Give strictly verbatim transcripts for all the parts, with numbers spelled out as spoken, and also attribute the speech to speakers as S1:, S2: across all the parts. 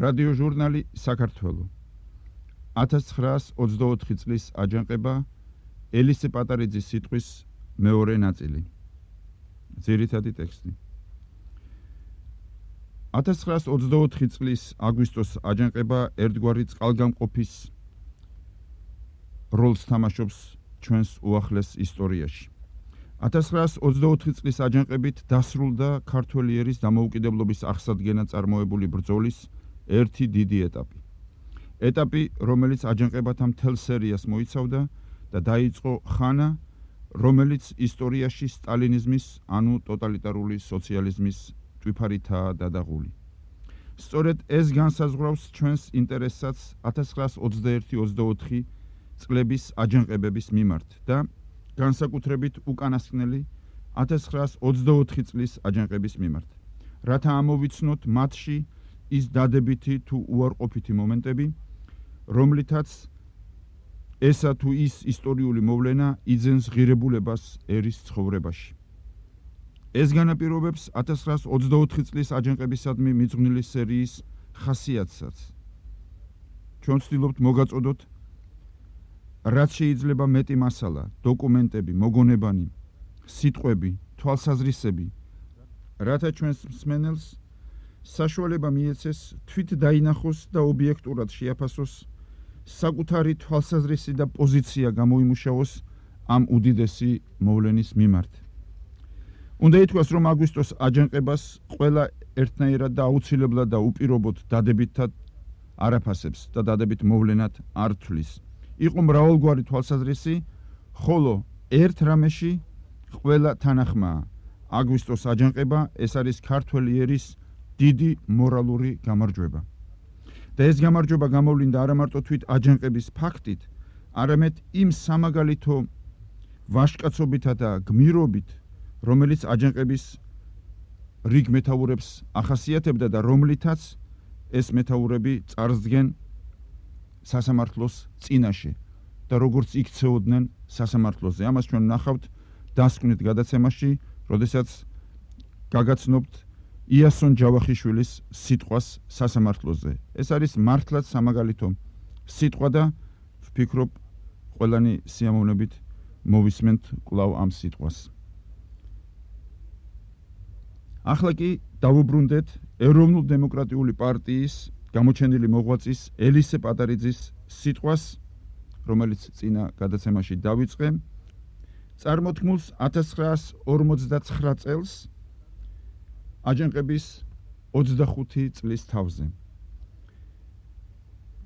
S1: რადიოჟურნალი საქართველო ათას ცხრაას ოცდაოთხი წლის აჯანყება ელისე პატარიძის სიტყვის მეორე ნაწილი ძირითადი ტექსტი ათას ცხრაას ოცდაოთხი წლის აგვისტოს აჯანყება ერთგვარი წყალგამყოფის როლს თამაშობს ჩვენს უახლეს ისტორიაში ათას ცხრაას ოცდაოთხი წლის აჯანყებით დასრულდა ქართველი ერის დამოუკიდებლობის აღსადგენად წარმოებული ბრძოლის ერთი დიდი ეტაპი. ეტაპი, რომელიც აჯანყებათა მთელ სერიას მოიცავდა და დაიწყო ხანა, რომელიც ისტორიაში სტალინიზმის, ანუ ტოტალიტარული სოციალიზმის ტვიფარითაა დადაღული. სწორედ ეს განსაზღვრავს ჩვენს ინტერესსაც ათას ცხრაას ოცდაერთი ოცდაოთხი წლების აჯანყებების მიმართ და განსაკუთრებით უკანასკნელი ათას ცხრაას ოცდაოთხი წლის აჯანყების მიმართ. რათა ამოვიცნოთ მათში ის დადებითი თუ უარყოფითი მომენტები, რომლითაც ესა თუ ის ისტორიული მოვლენა იძენს ღირებულებას ერის ცხოვრებაში. ეს განაპირობებს ათას ცხრაას ოცდაოთხი წლის აჯანყებისადმი მიძღვნილი სერიის ხასიათსაც. ჩვენ ვცდილობთ მოგაწოდოთ, რაც შეიძლება მეტი მასალა, დოკუმენტები, მოგონებანი, სიტყვები, თვალსაზრისები, რათა ჩვენს მსმენელს საშუალება მიეცეს თვით დაინახოს და ობიექტურად შეაფასოს საკუთარი თვალსაზრისი და პოზიცია გამოიმუშაოს ამ უდიდესი მოვლენის მიმართ. უნდა ითქვას, რომ აგვისტოს აჯანყებას ყველა ერთნაირად და აუცილებლად და უპირობოდ დადებითად არაფასებს და დადებით მოვლენად არ თვლის. იყო მრავალგვარი თვალსაზრისი, ხოლო ერთ რამეში ყველა თანახმაა. აგვისტოს აჯანყება ეს არის ქართველი ერის დიდი მორალური გამარჯვება. და ეს გამარჯვება გამოვლინდა არა მარტო თვით აჯანყების ფაქტით, არამედ იმ სამაგალითო ვაჟკაცობითა და გმირობით, რომელიც აჯანყების რიგ მეთაურებს ახასიათებდა და რომლითაც ეს მეთაურები წარსდგენ სასამართლოს წინაშე და როგორც იქცეოდნენ სასამართლოზე. ამას ჩვენ ვნახავთ დასკვნით გადაცემაში, როდესაც გაგაცნობთ იასონ ჯავახიშვილის სიტყვას სასამართლოზე. ეს არის მართლაც სამაგალითო სიტყვა და ვფიქრობ, ყველანი სიამოვნებით მოვისმენთ კვლავ ამ სიტყვას. ახლა კი დავუბრუნდეთ ეროვნულ-დემოკრატიული პარტიის გამოჩენილი მოღვაწის ელისე პატარიძის სიტყვას, რომელიც წინა გადაცემაში დავიწყე, წარმოთქმულს ათას ცხრაას ორმოცდაცხრა წელს აჯანყების ოცდახუთი წლის თავზე.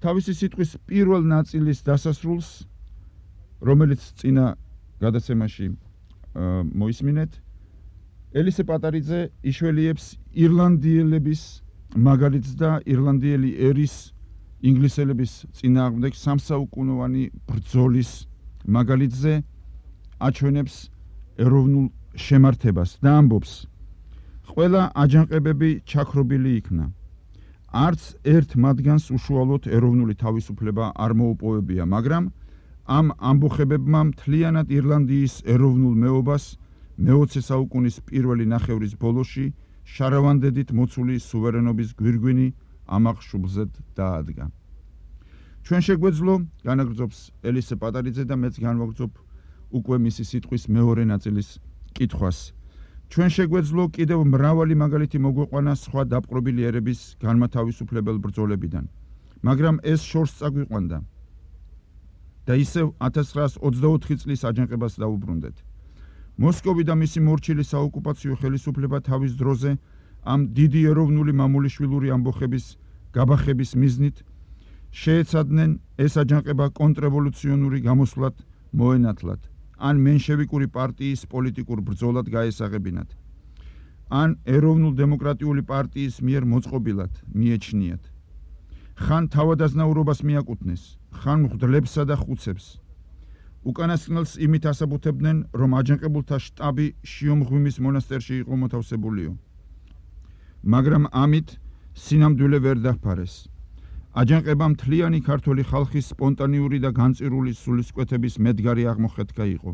S1: თავისი სიტყვის პირველ ნაწილის დასასრულს, რომელიც წინა გადაცემაში მოისმინეთ, ელისე პატარიძე იშველიებს ირლანდიელების მაგალითს და ირლანდიელი ერის ინგლისელების წინააღმდეგ სამსაუკუნოვანი ბრძოლის მაგალითზე აჩვენებს ეროვნულ შემართებას და ამბობს, ყველა აჯანყებები ჩაქრობილი იქნა. არც ერთ მათგანს უშუალოდ ეროვნული თავისუფლება არ მოუპოვებია, მაგრამ ამ ამბოხებებმა მთლიანად ირლანდიის ეროვნულ მეობას მეოცე საუკუნის პირველი ნახევრის ბოლოში შარავანდედით მოცული სუვერენობის გვირგვინი ამაღშუბლზედ დაადგა. ჩვენ შეგვეძლო, განაგრძობს ელისე პატარიძე და მეც განვაგრძობ უკვე მისი სიტყვის მეორე ნაწილის კითხვას. ჩვენ შეგვეძლო კიდევ მრავალი მაგალითი მოგვეყვანა სხვა დაპყრობილი ერების განმათავისუფლებელ ბრძოლებიდან, მაგრამ ეს შორს წაგვიყვანდა და ისევ ათას ცხრაას ოცდაოთხი წლის აჯანყებას დავუბრუნდეთ. მოსკოვი და მისი მორჩილი საოკუპაციო ხელისუფლება თავის დროზე ამ დიდი ეროვნული მამულიშვილური ამბოხების გაბახების მიზნით შეეცადნენ ეს აჯანყება კონტრრევოლუციონური გამოსვლად მოენათლათ, ან მენშევიკური პარტიის პოლიტიკურ ბრძოლად გაესაღებინათ, ან ეროვნულ-დემოკრატიული პარტიის მიერ მოწყობილად მიეჩნიათ. ხან თავადაზნაურობას მიაკუთვნეს, ხან მღვდლებსა და ხუცებს. უკანასკნელს იმით ასაბუთებდნენ, რომ აჯანყებულთა შტაბი შიომღვიმის მონასტერში იყო მოთავსებულიო. მაგრამ ამით სინამდვილე ვერ დაფარეს. აჯანყება მთლიანი ქართველი ხალხის სპონტანიური და განწირული სულისკვეთების მედგარი აღმოხეთქა იყო.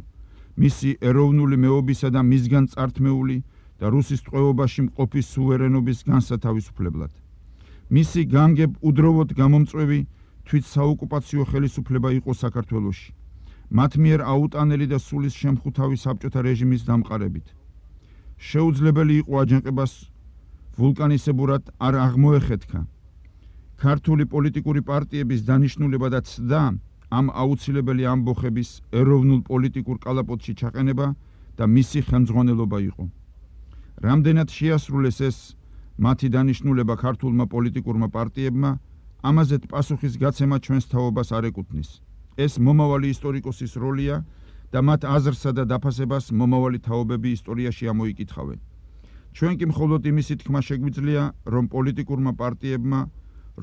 S1: მისი ეროვნული მეობისა და მისგან წართმეული და რუსის ტყვეობაში მყოფი სუვერენობის განსათავისუფლებლად. მისი განგებ უდროვოდ გამომწვევი თვით საოკუპაციო ხელისუფლება იყო საქართველოში. მათ მიერ აუტანელი და სულის შემხუთავი საბჭოთა რეჟიმის დამყარებით. შეუძლებელი იყო აჯანყებას ვულკანისებურად არ აღმოეხეთქა. ქართული პოლიტიკური პარტიების დანიშნულება და ცდა ამ აუცილებელი ამბოხების ეროვნულ პოლიტიკურ კალაპოტში ჩაყენება და მისი ხელმძღვანელობა იყო. რამდენად შეასრულეს ეს მათი დანიშნულება ქართულმა პოლიტიკურმა პარტიებმა, ამაზეთ პასუხის გაცემა ჩვენს თაობას არ ეკუთვნის. ეს მომავალი ისტორიკოსის როლია და მათ აზრსა და დაფასებას მომავალი თაობები ისტორიაში ამოიკითხავენ. ჩვენ კი მხოლოდ იმისი თქმა შეგვიძლია, რომ პოლიტიკურმა პარტიებმა,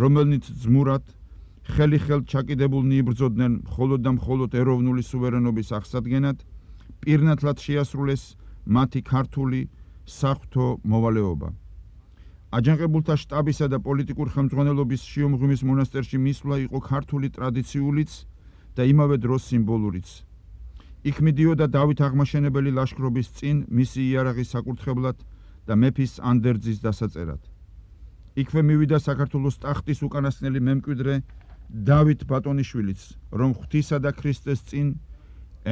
S1: რომელნიც ძმურად ხელი ხელთ ჩაკიდებულნი იბრძოდნენ მხოლოდ და მხოლოდ ეროვნული სუვერენობის აღსადგენად, პირნათლად შეასრულეს მათი ქართული საღვთო მოვალეობა. აჯანყებულთა შტაბისა და პოლიტიკურ ხელმძღვანელობის შიომღვიმის მონასტერში მისვლა იყო ქართული ტრადიციულიც და იმავე დროს სიმბოლურიც. იქ მიდიოდა დავით აღმაშენებელი ლაშქრობის წინ მისი იარაღის საკურთხებლად და მეფის ანდერძის დასაწერად. იქვე მივიდა საქართველოს ტახტის უკანასკნელი მემკვიდრე დავით ბატონიშვილიც, რომ ღვთისა და ქრისტეს წინ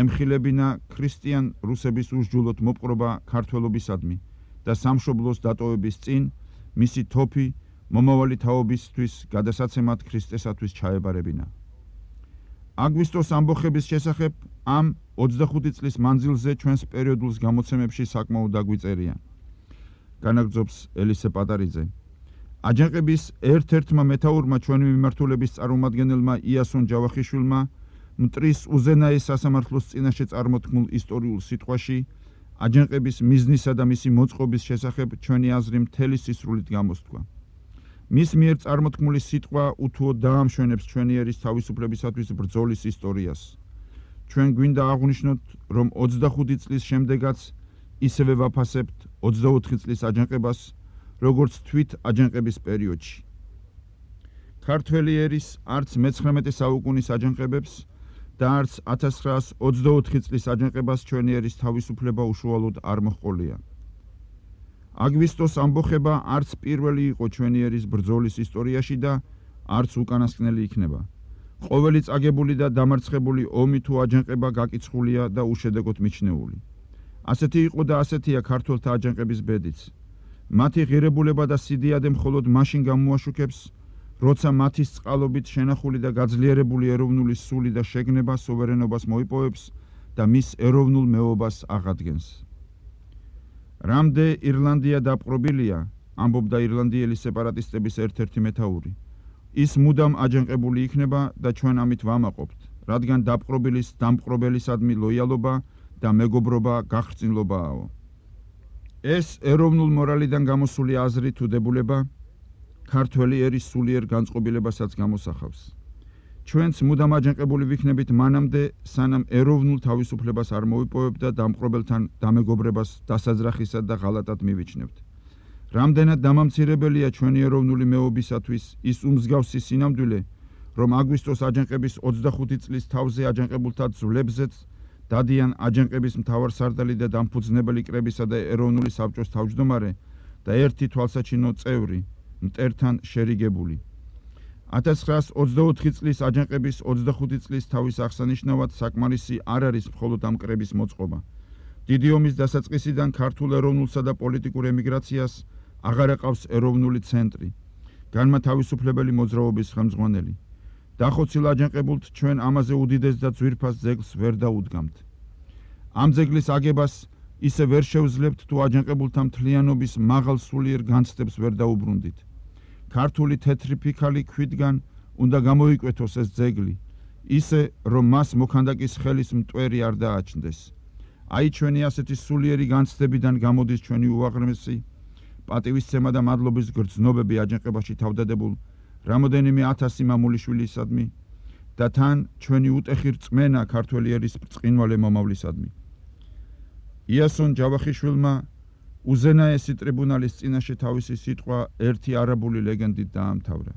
S1: ემხილებინა ქრისტიან რუსების უსჯულოდ მოპყრობა ქართველობისადმი და სამშობლოს დატოვების წინ მისი თოფი მომავალი თაობისთვის გადასაცემად ქრისტესათვის ჩაებარებინა. აგვისტოს ამბოხების შესახებ ამ ოცდახუთი წლის მანძილზე ჩვენს პერიოდულს გამოცემებში საკმაოდ დაგვიწერია. განაგრძობს ელისე პატარიძე. აჯანყების ერთ-ერთმა მეთაურმა ჩვენი მიმართულების წარმომადგენელმა იასონ ჯავახიშვილმა მტრის უზენაეს სასამართლოს წინაშე წარმოთქმულ ისტორიულ სიტყვაში აჯანყების მიზნისა და მისი მოწყობის შესახებ ჩვენი აზრი მთელი სისრულით გამოსთქვა. მის მიერ წარმოთქმული სიტყვა უთუოდ დაამშვენებს ჩვენი ერის თავისუფლებისათვის ბრძოლის ისტორიას. ჩვენ გვინდა აღვნიშნოთ, რომ ოცდახუთი წლის შემდეგაც ისევე ვაფასებთ ოცდაოთხი წლის აჯანყებას, როგორც თვით აჯანყების პერიოდში. ქართველი ერის არც მეცხრამეტე საუკუნის აჯანყებებს და არც ათას ცხრაას ოცდაოთხი წლის აჯანყებას ჩვენი ერის თავისუფლება უშუალოდ არ მოჰყოლია. აგვისტოს ამბოხება არც პირველი იყო ჩვენი ერის ბრძოლის ისტორიაში და არც უკანასკნელი იქნება. ყოველი წაგებული და დამარცხებული ომი თუ აჯანყება გაკიცხულია და უშედეგოდ მიჩნეული. ასეთი იყო და ასეთია ქართველთა აჯანყების ბედიც. მათი ღირებულება და სიდიადე მხოლოდ მაშინ გამოაშუქებს, როცა მათის წყალობით შენახული და გაძლიერებული ეროვნული სული და შეგნება სუვერენობას მოიპოვებს და მის ეროვნულ მეობას აღადგენს. რამდე ირლანდია დაპყრობილია, ამბობდა ირლანდიელი სეპარატისტების ერთ-ერთი მეთაური. ის მუდამ აჯანყებული იქნება და ჩვენ ამით ვამაყობთ, რადგან დაპყრობილის დამპყრობელისადმი ლოიალობა და მეგობრობა გახრწნილობააო. ეს ეროვნულ მორალიდან გამოსული აზრი თუ დებულება ქართველი ერის სულიერ განწყობილებასაც გამოსახავს. ჩვენც მუდამ აჯანყებული ვიქნებით მანამდე, სანამ ეროვნულ თავისუფლებას არ მოვიპოვებთ და დამპყრობელთან დამეგობრებას დასაძრახისად და ღალატად მივიჩნევთ. რამდენად დამამცირებელია ჩვენი ეროვნული მეობისათვის ის უმსგავსი სინამდვილე, რომ აგვისტოს აჯანყების ოცდახუთი წლის თავზე აჯანყებულთა ძვლებზეც დადიან აჯანყების მთავარსარდალი და დამფუძნებელი კრებისა და ეროვნული საბჭოს თავმჯდომარე და ერთი თვალსაჩინო წევრი, მტერთან შერიგებული. ათას ცხრაას ოცდაოთხი წლის აჯანყების ოცდახუთი წლის თავის აღსანიშნავად საკმარისი არ არის მხოლოდ ამ კრების მოწყობა. დიდი ომის დასაწყისიდან ქართულ ეროვნულსა და პოლიტიკურ ემიგრაციას აღარ აყავს ეროვნული ცენტრი, განმათავისუფლებელი მოძრაობის ხელმძღვანელი. დახოცილ აჯანყებულთ ჩვენ ამაზე უდიდეს და ძვირფას ძეგლს ვერ დაუდგამთ. ამ ძეგლის აგებას ისე ვერ შევძლებთ, თუ აჯანყებულთა მთლიანობის მაღალ სულიერ განცდებს ვერ დაუბრუნდით. ქართული თეთრი ფიქალი ქვიდან უნდა გამოიკვეთოს ეს ძეგლი, ისე რომ მას მოქანდაკის ხელის მტვერი არ დააჩნდეს. აი ჩვენი ასეთი სულიერი განცდებიდან გამოდის ჩვენი უაღრესი პატივისცემა და მადლობის გრძნობები აჯანყებაში თავდადებულ რამოდენიმე ათასი მამულიშვილისადმი და თან ჩვენი უტეხი რწმენა ქართველი ერის ბრწყინვალე მომავლისადმი. იასონ ჯავახიშვილმა უზენაესი ტრიბუნალის წინაშე თავისი სიტყვა ერთი არაბული ლეგენდით დაამთავრა.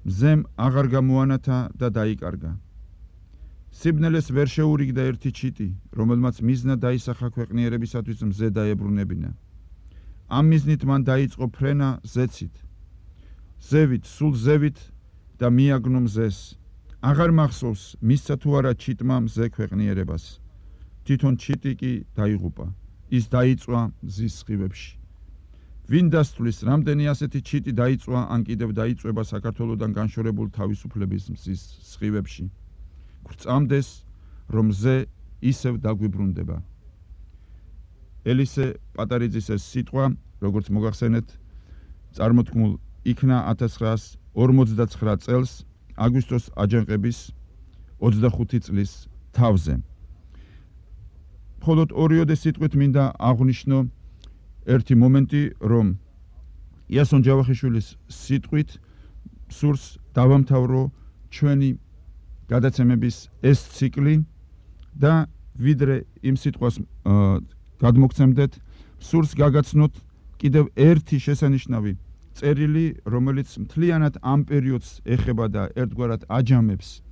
S1: მზემ აღარ გამოანათა და დაიკარგა. სიბნელეს ვერ შეურიგდა ერთი ჩიტი, რომელმაც მიზნა დაისახა ქვეყნიერებისათვის მზე დაებრუნებინა. ამ მიზნით მან დაიწყო ფრენა ზეცით. ზევით, სულ ზევით და მიაგნო მზეს. აღარ მახსოვს მისცა თუ არა ჩიტმა მზე ქვეყნიერებას. თვითონ ჩიტი კი დაიღუპა. ის დაიწვა მზის სხივებში. ვინ დასთვლის, რამდენი ასეთი ჩიტი დაიწვა ან კიდევ დაიწვება საქართველოდან განშორებულ თავისუფლების მზის სხივებში. გვწამდეს, რომ მზე ისევ დაგვიბრუნდება. ელისე პატარიძის ეს სიტყვა, როგორც მოგახსენეთ, წარმოთქმულ იქნა ათას ცხრაას ორმოცდაცხრა წელს აგვისტოს აჯანყების ოცდახუთი წლის თავზე. მხოლოდ ორიოდე სიტყვით მინდა აღვნიშნო ერთი მომენტი, რომ იასონ ჯავახიშვილის სიტყვით სურს დავამთავრო ჩვენი გადაცემების ეს ციკლი და ვიდრე იმ სიტყვას გადმოგცემდეთ, სურს გაგაცნოთ კიდევ ერთი შესანიშნავი წერილი, რომელიც მთლიანად ამ პერიოდს ეხება და ერთგვარად აჯამებს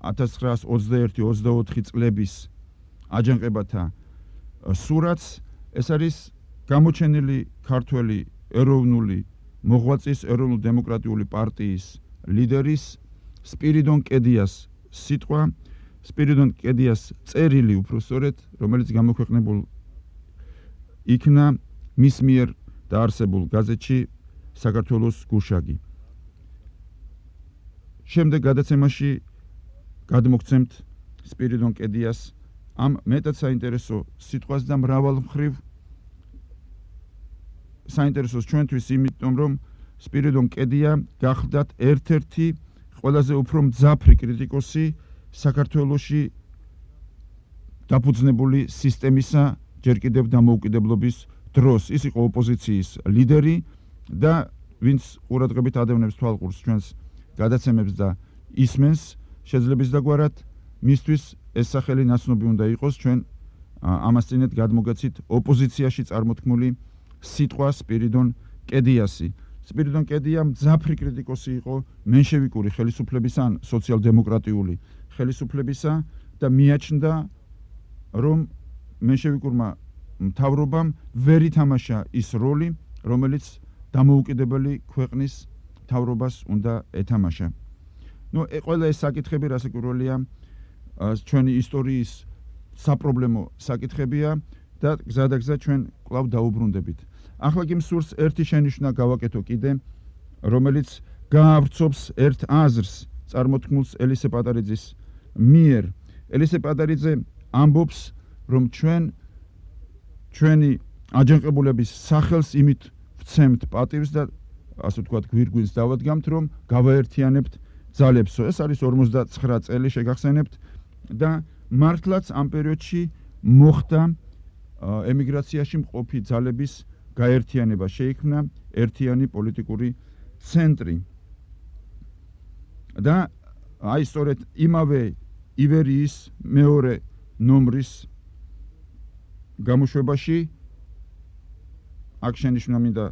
S1: ათას ცხრაას ოცდაერთი ოცდაოთხი წლების აჯანყებათა სურათს. ეს არის გამოჩენილი ქართველი ეროვნული მოღვაწის, ეროვნულ-დემოკრატიული პარტიის ლიდერის სპირიდონ კედიას სიტყვა, სპირიდონ კედიას წერილი უფრო სწორედ, რომელიც გამოქვეყნებულ იქნა მის მიერ დაარსებულ გაზეთში საქართველოს გუშაგი. შემდეგ გადაცემაში გადმოგცემთ სპირიდონ კედიას ამ მეტად საინტერესო სიტყვას და მრავალ მხრივ საინტერესოს ჩვენთვის, იმიტომ რომ სპირიდონ კედია გახლდათ ერთ-ერთი ყველაზე უფრო მძაფრი კრიტიკოსი საქართველოში დაფუძნებული სისტემისა ჯერ კიდევ დამოუკიდებლობის დროს. ის იყო ოპოზიციის ლიდერი და ვინც ყურადღებით ადევნებს თვალყურს ჩვენს გადაცემებს და ისმენს, შეძლებისდაგვარად მისთვის ეს სახელი ნაცნობი უნდა იყოს ჩვენ ამასწინეთ გადმოგეცით ოპოზიციაში წარმოთქმული სიტყვა სპირიდონ კედიასი. სპირიდონ კედია მძაფრი კრიტიკოსი იყო მენშევიკური ხელისუფლების ან სოციალ-დემოკრატიული ხელისუფლებისა და მიაჩნდა, რომ მენშევიკურმა მთავრობამ ვერ ითამაშა ის როლი, რომელიც დამოუკიდებელი ქვეყნის მთავრობას უნდა ეთამაშა. ნუ ყველა ეს საკითხები რასაკვირველია ჩვენი ისტორიის საპრობლემო საკითხებია და გზადაგზა ჩვენ კვლავ დაუბრუნდებით. ახლა კი მსურს ერთი შენიშვნა გავაკეთო კიდე, რომელიც გაავრცობს ერთ აზრს წარმოთქმულს ელისე პატარიძის მიერ. ელისე პატარიძე ამბობს, რომ ჩვენ ჩვენი აჯანყებულების სახელს იმით ვცემთ პატივს და ასე ვთქვათ გვირგვინს დავადგამთ, რომ გავაერთიანებთ ძალებსო. ეს არის ორმოცდაცხრა წელი შეგახსენებთ და მართლაც ამ პერიოდში მოხდა ემიგრაციაში მყოფი ძალების გაერთიანება, შეიქმნა ერთიანი პოლიტიკური ცენტრი. და აი სწორედ იმავე ივერიის მეორე ნომრის გამოშვებაში აქ შენიშვნა მინდა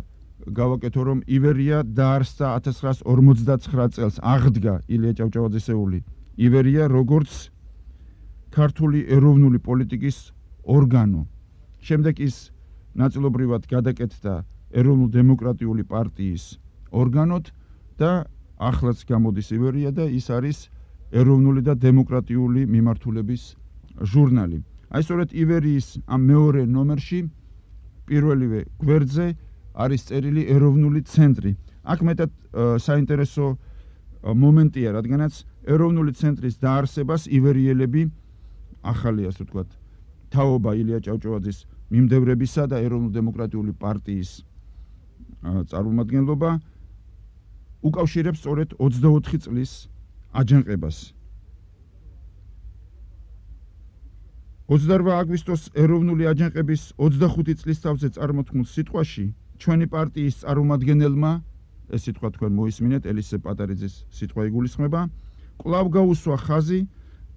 S1: გავაკეთო, რომ ივერია დაარსდა ათას ცხრაას ორმოცდაცხრა წელს, აღდგა ილია ჭავჭავაძისეული ივერია როგორც ქართული ეროვნული პოლიტიკის ორგანო. შემდეგ ის ნაწილობრივად გადაკეთდა ეროვნულ-დემოკრატიული პარტიის ორგანოდ და ახლაც გამოდის ივერია და ის არის ეროვნული და დემოკრატიული მიმართულების ჟურნალი. აი სწორედ ივერიის ამ მეორე ნომერში პირველივე გვერდზე არის წერილი ეროვნული ცენტრი. აქ მეტად საინტერესო მომენტია, რადგანაც ეროვნული ცენტრის დაარსებას ივერიელები ახალი, ასე ვთქვათ, თაობა ილია ჭავჭავაძის მიმდევრებისა და ეროვნულ-დემოკრატიული პარტიის წარმომადგენლობა უკავშირებს სწორედ ოცდაოთხი წლის აჯანყებას. ოცდარვა აგვისტოს ეროვნული აჯანყების ოცდახუთი წლის თავზე წარმოთქმულ სიტყვაში ჩვენი პარტიის წარმომადგენელმა, ეს სიტყვა თქვენ მოისმინეთ, ელისე პატარიძის სიტყვა იგულისხმება, კვლავ გაუსვა ხაზი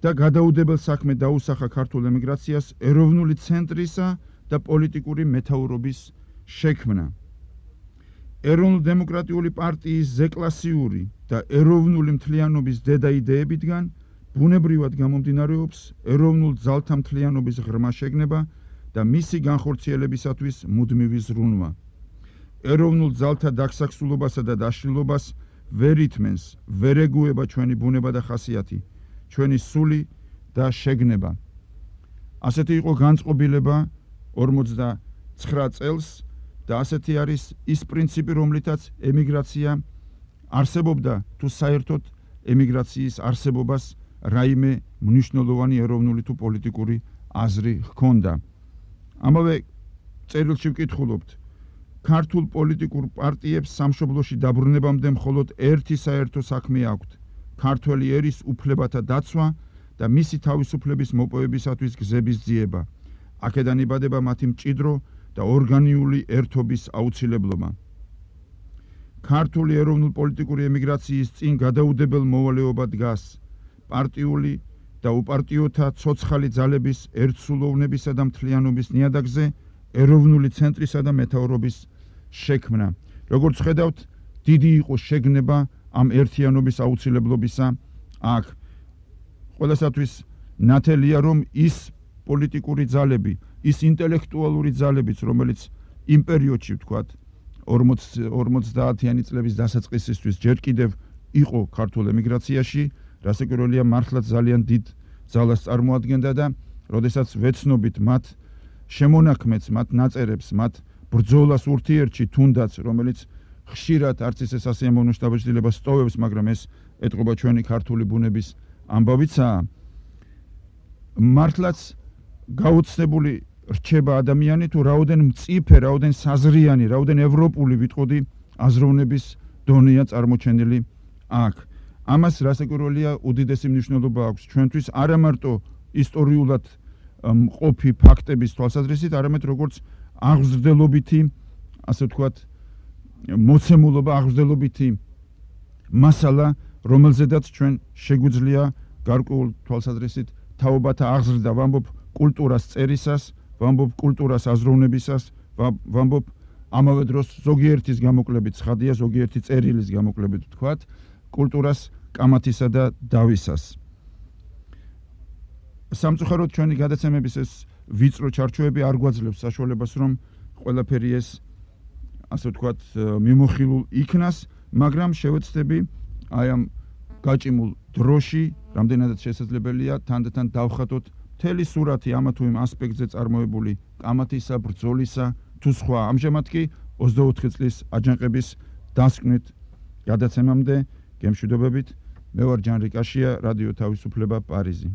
S1: და გადაუდებელ საქმე დაუსახა ქართულ ემიგრაციას ეროვნული ცენტრისა და პოლიტიკური მეთაურობის შექმნა. ეროვნულ-დემოკრატიული პარტიის ზეკლასიური და ეროვნული მთლიანობის დედა იდეებიდან ბუნებრივად გამომდინარეობს ეროვნულ ძალთა მთლიანობის ღრმა შეგნება და მისი განხორციელებისათვის მუდმივი ზრუნვა. ეროვნულ ძალთა დაგსაქსულობასა და დაშლილობას ვერ ითმენს, ვერ ეგუება ჩვენი ბუნება და ხასიათი, ჩვენი სული და შეგნება. ასეთი იყო განწყობილება ორმოცდაცხრა წელს და ასეთი არის ის პრინციპი, რომლითაც ემიგრაცია არსებობდა, თუ საერთოდ ემიგრაციის არსებობას რაიმე მნიშვნელოვანი ეროვნული თუ პოლიტიკური აზრი ჰქონდა. ამავე წერილში ვკითხულობთ, ქართულ პოლიტიკურ პარტიებს სამშობლოში დაბრუნებამდე მხოლოდ ერთი საერთო საქმე აქვთ, ქართველი ერის უფლებათა დაცვა და მისი თავისუფლების მოპოვებისათვის გზების ძიება. აქედან იბადება მათი მჭიდრო და ორგანიული ერთობის აუცილებლობა. ქართული ეროვნულ-პოლიტიკური ემიგრაციის წინ გადაუდებელ მოვალეობა დგას პარტიული და უპარტიოთა ცოცხალი ძალების ერთსულოვნებისა და მთლიანობის ნიადაგზე ეროვნული ცენტრისა და მეთაურობის შექმნა. როგორც ხედავთ, დიდი იყო შეგნება ამ ერთიანობის აუცილებლობისა აქ. ყველასათვის ნათელია, რომ ის პოლიტიკური ძალები, ის ინტელექტუალური ძალებიც, რომელიც იმ პერიოდში ვთქვათ, ორმოცდაათიანი წლების დასაწყისისთვის ჯერ კიდევ იყო ქართულ ემიგრაციაში, რასაკვირველია, მართლაც ძალიან დიდ ძალას წარმოადგენდა და როდესაც ვეცნობით მათ შემონაქმნებს, მათ ნაწერებს, მათ ბრძოლას ურთიერთში, თუნდაც, რომელიც ხშირად არც ისე სასიამოვნო შთაბეჭდილებას სტოვებს, მაგრამ ეს ეტყობა ჩვენი ქართული ბუნების ამბავიცაა. მართლაც გაუცნებული რჩება ადამიანი, თუ რაოდენ მწიფე, რაოდენ საზრიანი, რაოდენ ევროპული ვიტყოდი აზროვნების დონეა წარმოჩენილი აქ. ამას რასაკვირველია უდიდესი მნიშვნელობა აქვს ჩვენთვის, არა მარტო ისტორიულად მყოფი ფაქტების თვალსაზრისით, არამედ როგორც აღზრდელობითი, ასე ვთქვათ, მოცემულობა, აღზრდელობითი მასალა, რომელზედაც ჩვენ შეგვიძლია გარკვეულ თვალსაზრისით თაობათა აღზრდა, ვამბობ კულტურას წერისას, ვამბობ კულტურას აზროვნებისას, ვამბობ ამავე დროს ზოგიერთის გამოკლებით ცხადია, ზოგიერთი წერილის გამოკლებით ვთქვათ, კულტურას კამათისა და დავისას. სამწუხაროდ ჩვენი გადაცემების ეს ვიწრო ჩარჩოები არ გვაძლევს საშუალებას, რომ ყველაფერი ეს, ასე ვთქვათ, მიმოხილულ იქნას, მაგრამ შევეცდები აი ამ გაჭიმულ დროში, რამდენადაც შესაძლებელია, თანდათან დავხატოთ მთელი სურათი ამა თუ იმ ასპექტზე წარმოებული კამათისა, ბრძოლისა თუ სხვა. ამჟამად კი ოცდაოთხი წლის აჯანყების დასკვნით გადაცემამდე გემშვიდობებით, მე ვარ ჯანრი კაშია, რადიო თავისუფლება, პარიზი.